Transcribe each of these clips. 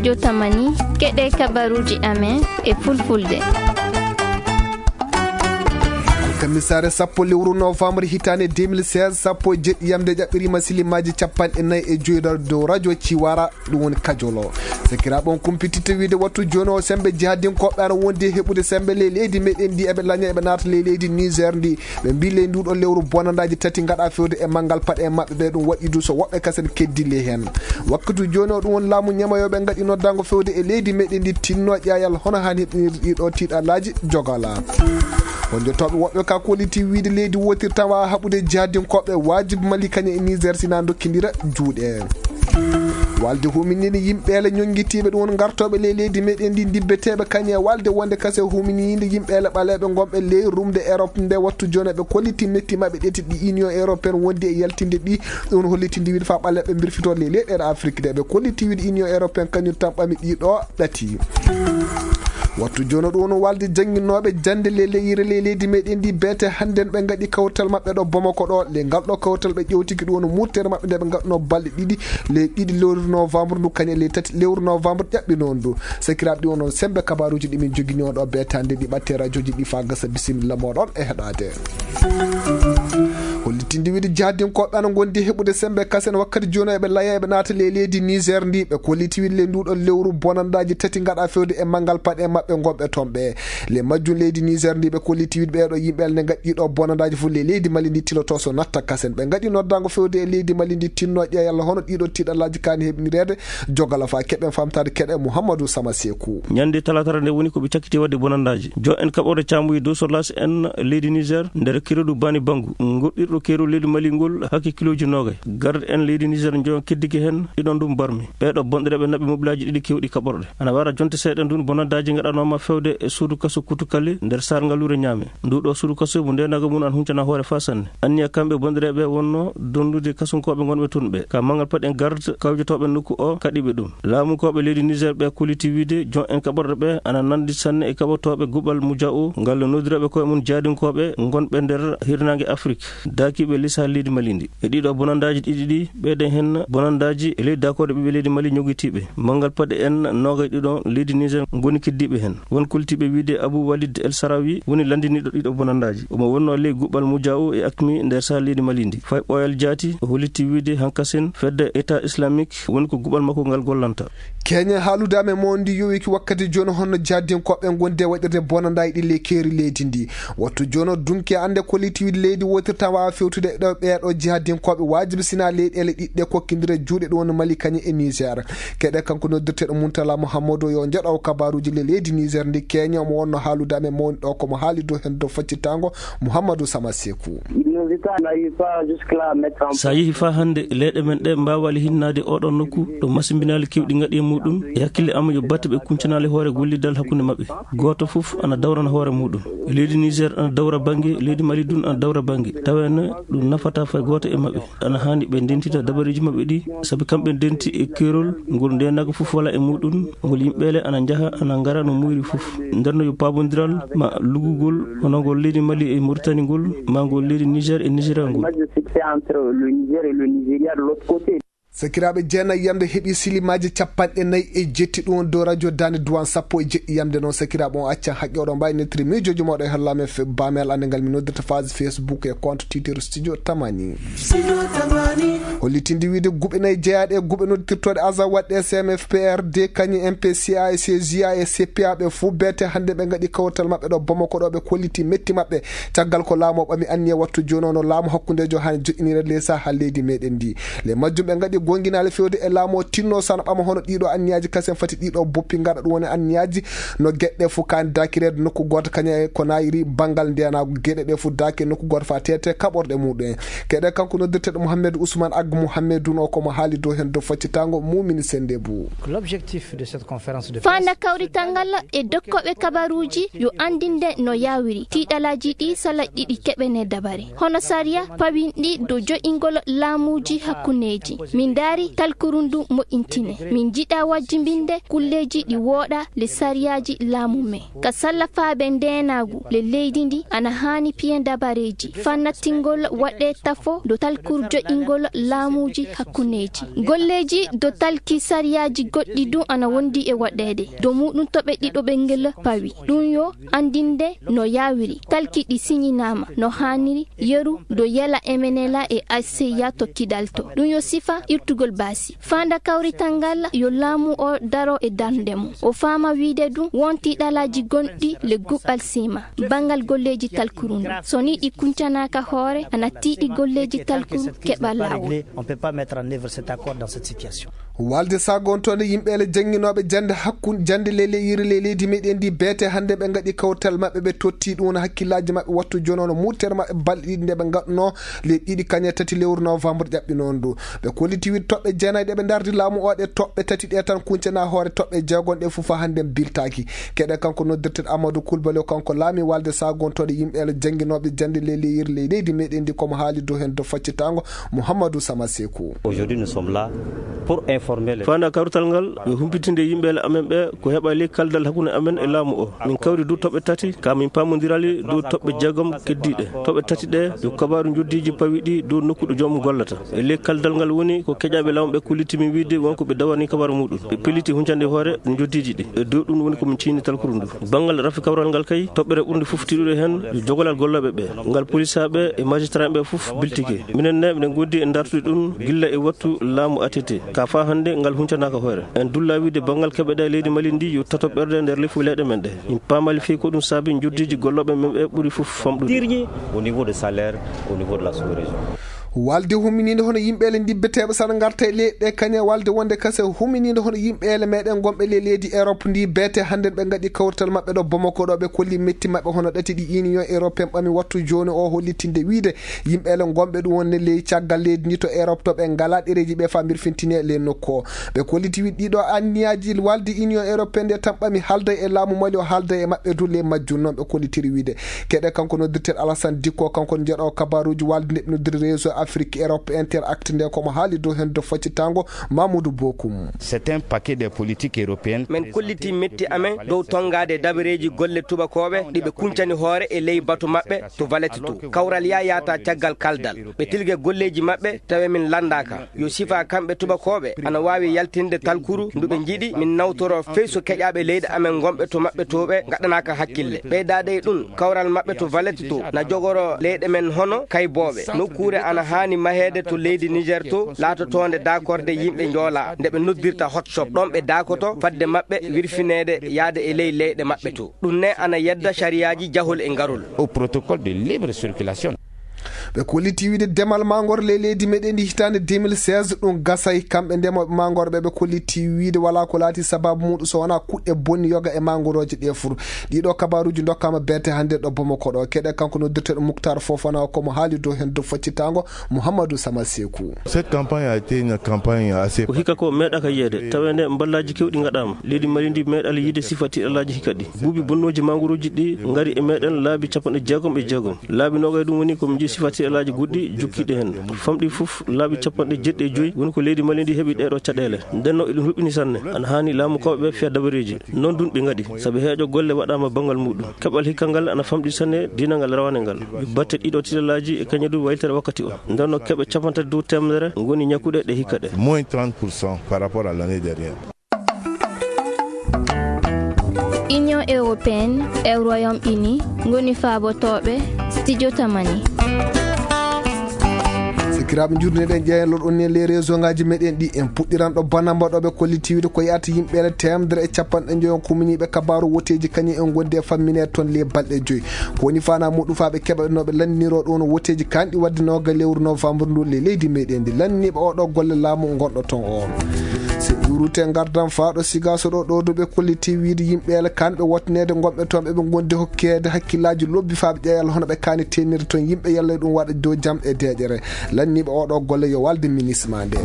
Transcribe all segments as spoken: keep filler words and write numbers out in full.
Yo tamani, keɗe kabaruuji amen e fulfulde. Kamisaare sappo lewru novembre hitaande deux mille seize, sappo e jeɗɗi yamde ƴaɓɓiriima silimaaji capanɗe nayi e joyi dow radio Ciwara, ɗum woni Kajolo. Sakiraaɓe, on kumpititta wiide wattu jooni o sembe jihadinkooɓe ana wondi e heɓude sembe ley leydi meɗen ndi, eɓe laña eɓe naata ley leydi Niger ndi. Ɓe mbii ley nduɗo lewru bonandaaji tati ngaɗa fewde e manngal paɗe maɓɓe ɓe, ɗum waɗi du so woɓɓe kasen keddili heen. Wakkati jooni o ɗum woni laamu ñamayooɓe ngaɗi noddaango fewde e leydi meɗen ndi tinno ƴaayal hono haan heɓinirde ɗiɗo tiiɗalaaji jogala. Wonjotooɓe woɓɓe ka kolliti wiide leydi wotirta waawa haɓude jihadinkooɓe wajibi Mali kañe e Niger sina dokkindira juuɗe. Walde humininde yimɓeele ñonngitiiɓe ɗum woni ngartooɓe ley leydi meɗen ndi dibbeteeɓe kañe e walde wonde kase humininde yimɓeele ɓaleeɓe ngonɓe ley rumde Europe nde wattu jooni ɓe kolliti metti maɓɓe ɗeti ɗi Union Européenne wondi e yaltinde ɗi. Ɗum hollitinde wiide fa ɓaleeɓe mbirfito ley leyɗeele Afrique de ɓe kolliti wiide Union Européenne kañum tan ɓami ɗiɗo ɗati. Wattu jooni ɗum woni walde jannginooɓe jannde ley leyire ley leydi meɗen ndi beete hannden ɓe ngaɗi kawtal maɓɓe ɗo Bamako ɗo. Ley ngal ɗo kawtal ɓe ƴewtiki ɗum woni murtere maɓɓe nde ɓe ngaɗno balɗe ɗiɗi ley ɗiɗi lewru novembre ndu kañe ley tati lewru novembre ƴaɓɓi noon ndu. Sakiraaɓe ɗi wono sembe kabaruuji ɗi min jogini on ɗo beetande ɗi ɓatte radiooji ɗi fa gasa bisimilla moɗon e heɗaade. Hollitinde wiide jahdinkooɓe ana ngondi heɓude sembe kasen wakkati jooni eɓe laya eɓe naata ley leydi Niger ndi ɓe kolliti wiide ley nduɗo lewru bonandaaji tati ngaɗa fewde e manngal paɗe maɓɓe ngonɓe toon ɓe. Ley majjum leydi Niger ndi ɓe kolliti wiide ɓeeɗo yimɓe alne ngaɗi ɗo bonandaaji fof ley leydi Mali ndi tiloto so natta kasen ɓe ngaɗi noddaango fewde e leydi Mali ndi tinno ƴeeyalla hono ɗiɗo tiiɗallaaji kaani heɓnireede. Jogala fa keɓen famtaade keɗe Mouhamadou Sama Sekou. Ñande talaatara nde woni ko ɓe cakkiti waɗde bonandaaji. Jo en kaɓorde caamuyi dow Solas en leydi Niger nder kerodu Bani Bangu, goɗɗirɗo kerodu leydi Mali ngol hakke kilooji noogay. Garde en leydi Niger njoyon keddike heen ɗiɗon ɗum barmi. Ɓeeɗo bonɗereeɓe naɓi mobilaaji ɗiɗi kewɗi kaɓorɗe. Ana wara jonte seeɗa ndun bonandaaji ngaɗanooma fewde e suudu kaso Kutukale nder Saar Ngaluure Ñaame. Ndu ɗo suudu kaso mo ndenago mum an huncana hoore fa sanne. Anniya kamɓe bonɗereeɓe wonno dondude kasunkooɓe ngonɓe toon ɓe. Ka mangal paɗen garde kawjotooɓe nokku o kaɗi ɓe ɗum. Laamunkooɓe leydi Niger ɓe kolliti wiide jon en kaɓorɗe ɓe ana nandi sanne e kaɓotooɓe guɓal Muja'u ngal noddiraaɓe koye mum jaadinkooɓe ngonɓe nder hirnaange Afrik, daakiiɓe lisaa leydi Mali ndi. E ɗiɗo bonandaaji ɗiɗi ɗi, ɓeyden heen bonandaaji e ley daakorde ɓiɓɓe leydi Mali ñogitiiɓe. Mangal paɗe en noogay ɗiɗo leydi Niger ngoni keddiiɓe heen. Won koltiiɓe wiide Abou Walid El Sarawi woni lanndiniiɗo ɗiɗo bonandaaji. Omo wonnoo ley guɓal Muja'u e Akmi nder saha leydi Mali ndi. Fay Ɓooyal Jaati o hollitii wiide hankasen fedde État Islamique woni ko guɓal makko ngal gollanta. Keñen haalude amen mo ndi yowiki wakkati jooni honno jahdinkooɓe ngonde waɗirde bonandaaji ɗi ley keeri leydi ndi. Wattu jooni o dunki annde kolliti wiide leydi wotirta waawa fewtude ɗo ɓeeɗo jihadinkooɓe waajibi sina leyɗeele ɗiɗɗe kokkindire juuɗe ɗum woni Mali kañum e Niger. Keɗe kanko noddirteeɗo Muntala Mouhamadou yo njaɗo kabaruuji le leydi Niger ndi keñe omo wonno haalude amen mawni ɗo komo haali dow heen dow faccitango Mouhamadou Sama Sekou. Sa yehi faa hannde leyɗe men ɗe mbaawali hinnaade oɗon nokku ɗo masimbinaali kewɗi ngaɗi e muɗum e hakkille am yo batte ɓe kuncanaali hoore gollidal hakkunde maɓɓe. Gooto fof ana dawrana hoore muɗum. Leydi Niger ana dawra bannge, leydi Mali dun ana dawra bannge. Taweene ɗum nafata fay gooto e maɓɓe. Ana haani ɓe ndentita dabareeji maɓɓe ɗi, sabi kamɓe ndenti e keerol ngol ndenago fof wala e muɗum, ngol yimɓeele ana njaha, ana ngara no muuyri fof. Nder no yo paabondiral ma lugugol hono ngol leydi Mali e Mauritanie ngol, ma ngol leydi Niger e Nigeria ngol. Sakiraaɓe, jeenayi yamde heɓi silimaaji capanɗe nayi e jetti ɗum dow radio Daande Duwaan sappo e jeɗɗi yamde noon. Sakiraaɓe, on accan haqqe oɗon mbaawi nettiri miijooji mooɗon e hollaame fe-, baamel annde ngal mi noddirta phase Facebook e compte Twitter Studio Tamani. Hollitinde wiide guɓe nayi jeyaaɗe e guɓe noddirtooɗe Aza waɗɗe C M F P R D, kañum M P C A e C J A e C P A ɓe fof beete hannde ɓe ngaɗi kawtal maɓɓe ɗo Bamako ɗo ɓe kolliti metti maɓɓe. Caggal ko laamu o ɓami anniya wattu jooni o no laamu hakkundeejo haani joƴƴinire ley saha leydi meɗen ndi. Le majjum ɓe ngaɗi gonginaale fewde e laamu o tinno sana ɓama hono ɗiɗo anniyaaji kasen fati ɗiɗo boppi ngaɗa ɗum woni anniyaaji no geɗɗe fof kaani dakireede nokku gooto kañum e ko nayiri banngal ndenaagu geɗe ɗe fof daaki e nokku gooto fa tete kaɓorɗe muɗum en. Keɗe kanko noddirteeɗo Mouhamed Ousmane Ag Mouhamedoun o komo haali dow heen dow faccitango mumini sende bu. L'objectif de cette conférence de presse, faanda kawrital ngal e dokkooɓe kabaruuji yo anndinde no yaawiri tiiɗalaaji ɗi sala ɗiɗi keɓene dabare. Hono sariya pawinɗi dow joɗingol laamuuji hakkundeeji. Min Daari talkuru ndu moƴƴintine. Min njiɗa wajjimbinde kulleeji ɗi wooɗa le sariyaaji laamu men. Ka sallafaaɓe ndeenaagu le leydi ndi ana haani piyen dabareeji. Faa nattingol waɗee tafo do talkuru joƴingol laamuuji hakkundeeji. Golleeji do talki sariyaaji goɗɗi du ana wondi e waɗeede. Do muuɗum toɓe ɗiɗo ɓe ngel pawi. Ɗum yo anndinde no yaawiri. Talki ɗi siñinaama no haaniri. Yeru do yela M N L A e A C ya tokkidal to. Ɗum yo sifa irtugol baasi. Faanda kawrital ngal yo laamu o daro e darnde mum. O faama wiide ɗum wonti ɗalaaji gonɗi le guɓɓal siima. Banngal golleeji talkuru ndu. So ni ɗi kuncanaaka hoore, ana tiiɗi golleeji talkuru keɓa laawol. On peut pas mettre en œuvre cet accord dans cette situation. Walde sagontoonde yimɓe le jannginooɓe jannde hakkun-, jannde le, le yiri le leydi meɗen ndi beete hannde ɓe ngaɗi kawtal maɓɓe, ɓe totti ɗum wona hakkillaaji maɓɓe wattu jono no murtere maɓɓe balɗe ɗiɗi nde ɓe ngaɗno le ɗiɗi kañe tati lewru novembre ƴaɓɓinoon ndu. Ɓe kolliti wiide toɓɓe jeenayi ɗe ɓe ndardi laamu o ɗe toɓɓe tati ɗe tan kuncana hoore toɓɓe jeegon ɗe fufa hannde biltaaki. Keɗe kanko noddirteɗo Amadou Coulibaly o kanko laami walde sagontoonde yimɓe le jannginooɓe jannde le, le yiri le leydi meɗen ndi komo haali dow heen do faccitango Mouhamadou Sama Sekou. Aujourd'hui, nous sommes là pour informer les Fanda kawrital ngal, yo humpitinde yimɓe le amen ɓe ko heɓa ley kaldal hakkunde amen e laamu o. Min kawri dow toɓɓe tati, ka min paamondirali dow toɓɓe jeegom keddiiɗe. Toɓɓe tati ɗe, yo kabaaru njoddiiji pawiɗi dow nokku ɗo joomum gollata. E ley kaldal ngal woni ko keƴaaɓe laamu ɓe kolliti min wiide wonko ɓe dawani kabaaru muɗum. Ɓe pelliti huncande hoore njoddiiji ɗi. E dow ɗum woni ko min ciini talkuru ndu. Banngal rafi kawral ngal kay, toɓɓere ɓurnde fof tiiɗude heen, yo jogolal gollooɓe ɓe. Ngal polisaaɓe e magistrat ɓe fof biltike. Minen ne, miɗen ngondi e dartude ɗum gilla e wattu laamu A T T. Ka faa hannde, ngal huncanaaka hoore. En dulla wiide banngal keɓeɗe leydi Mali ndi yo tato ɓerde nder lefu leyɗe men ɗe. Min paamali fii ko ɗum saabi njoddiiji gollooɓe men ɓe ɓuri fof famɗude. Au niveau de salaire, au niveau de la sous-région. Walde hummininde hono yimɓe le ndibbeteeɓe sana ngarta e leyɗe kañe walde wonde kase hummininde hono yimɓe le meɗen gonɓe le leydi Europe ndi beete hannde ɓe ngaɗi kawrital maɓɓe ɗo Bamako ɗo ɓe kolli metti maɓɓe hono ɗati ɗi Union Européenne ɓami wattu jooni o hollitinde wiide yimɓe le gonɓe ɗum wonde ley caggal leydi ndi to Europe to ɓe ngala ɗereeji ɓe fa mbirfintine le nokku o. Ɓe kolliti wiide ɗiɗo anniyaaji walde Union Européenne nde tan ɓami haalda e laamu Mali o haalda e maɓɓe du le majjum noon ɓe kollitiri wiide. Keɗe kanko noddirteeɗo Alassane Dicko, kanko jeɗo kabaruuji walde nde ɓe noddiri Réseau Afrique Europe Interact nde komo haali dow heen do faccitango Mamoudou Bokoum. C'est un paquet de politiques européennes. Min kolliti metti amen dow tongaade dabareeji golle tubakooɓe ɗi ɓe kuncani hoore e ley batu maɓɓe to Valletta to. Kawral ya yaata caggal kaldal. Ɓe tilge golleeji maɓɓe tawe min lanndaaka. Yo sifa kamɓe tubakooɓe ana waawi yaltinde talkuru ndu ɓe njiɗi min nawtoro fey so keƴaaɓe leyɗe amen gonɓe to maɓɓe to ɓe ngaɗanaaka hakkille. Ɓeydaade e ɗum, kawral maɓɓe to Valletta to na jogoro leyɗe men hono kaybooɓe. Nokkuure ana haani maheede to leydi Niger to, laatotoonde daakorde yimɓe njoolaa nde ɓe noddirta hotshop. Ɗoon ɓe daakoto fadde maɓɓe wirfineede yaade e ley leyɗe maɓɓe to. Ɗum ne ana yedda sariyaaji jahol e ngarol. Au protocole de libre circulation. Ɓe kolliti wiide demal mangoro ley leydi meɗen ndi hitaande deux mille seize ɗum gasay. Kamɓe ndemooɓe mangoro ɓe, ɓe kolliti wiide wala ko laati sababu muɗum so wona kuɗɗe bonni yoga e mangorooje ɗe fur. Ɗiɗo kabaruuji dokkama beete hannde ɗo Bamako ɗo. Keɗe kanko noddirteeɗo Mouctar Fofana o komo haali dow heen dow faccitango Mouhamadou Sama Sekou. Cette campagne a été une campagne assez Ko hikka ko meeɗaaka yiyeede, taweende mballaaji keewɗi ngaɗaama. Leydi Mali ndi meeɗaali yiide sifa tiiɗalaaji hikka ɗi. Buubi bonnooji mangorooji ɗi ngari e meɗen laabi capanɗe jeegom e jeegom. Laabi noogay ɗum woni ko min nji sifa tiiɗalaaji goɗɗi jokkiiɗi heen. Famɗi fof laabi capanɗe jeeɗiɗi e joy woni ko leydi Mali ndi heɓi ɗeeɗo caɗeele. Ndenno eɗum luɓɓini sanne. Ana haani laamu kawɓe ɓe fiya dabareeji. Noon ɗum ɓe ngaɗi, sabi heeƴo golle waɗaama banngal muɗum. Keɓal hikka ngal ana famɗi sanne diinangal rawane ngal. Batte ɗiɗo tiiɗalaaji e kañum ɗum waylitere wakkati o. Ndenno keɓe capanɗe tati dow teemedere ngoni ñakkuɗe ɗe hikka ɗe. Moins trente pour cent par rapport à l'année dernière. Union européenne e Royaume-Uni ngoni faabotooɓe studio Tamani. Sikiraaɓe, njuurneɗen ƴeeñal on ne les réseau ngaji meɗen ɗi. En puɗɗiran ɗo banamba ɗo ɓe kolliti wiide ko yaata yimɓe le teemedere e capanɗe njoyo kuminiiɓe kabaaru woteeji kañum en gondi e fammine toon le balɗe joyi. Ko woni fana muɗum faa ɓe keɓa no ɓe lanndiniroo ɗum no woteeji kanɗi wadde nooga lewru novembre ndu le leydi meɗen ndi. Lanndiniiɓe oɗo golle laamu ngonɗo toon o. So ƴuurute ngardan faa ɗo Sigaso ɗo, ɗo duɓe kolliti wiide yimɓe ele kanɓe wotneede gonɓe toon ɓe ɓe gondi hokkeede hakkillaaji lobbi faa ɓe ƴeeyal hono ɓe kaani teenirde toon yimɓe yalla ɗum waɗa dow jam e deeƴere. Lanndiniiɓe oɗo golle yo walde ministre ma nde.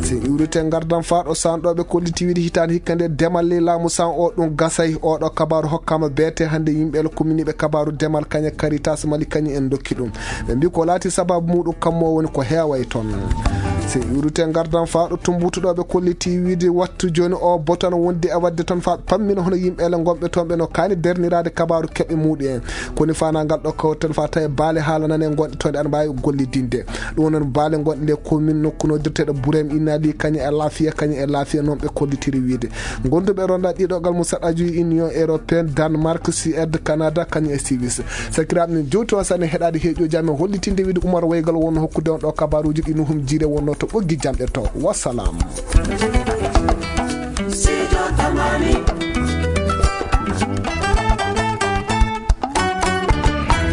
So ƴuurute ngardan faa ɗo san ɗo ɓe kolliti wiide hitaande hikka nde demal ley laamu san o ɗum gasay. Oɗo kabaaru hokkama beete hannde yimɓe ele kuminiiɓe kabaaru demal kañe Caritas Mali kañum en dokki ɗum. Ɓe mbi ko laati sababu muɗum kammo woni ko heeway toon. Se iwrite ngardan faa ɗo tumbutuɗo ɓe kolliti wiide wattu jooni o botan wondi e waɗde tan faa pammina hono yimɓe ele ngonɓe toon ɓe no kaani derniraade kabaaru keɓe muuɗi en. Koni faanaa ngal ɗo kawten faa tawi baale haala nane ngonɗe toon ɗe ana mbaawi gollidinde. Ɗum noon baale ngonɗe nde commune nokku noddirteeɗo Burem Inali kañum e Lafiya, kañum e Lafiya noon ɓe kollitiri wiide. Gonduɓe ronda ɗiɗo gal Musaɗaju Union Européenne, Danemark, Suède, Canada, kañum e Suisse. Sakiraaɓe min jowti on sane heɗaade heeƴo jam e hollitinde wiide Umar Waygal wonno hokkude on ɗo kabaruuji ɗi Nuhum Jiire wonno to ɓoggi jamɗe to. Wassalam.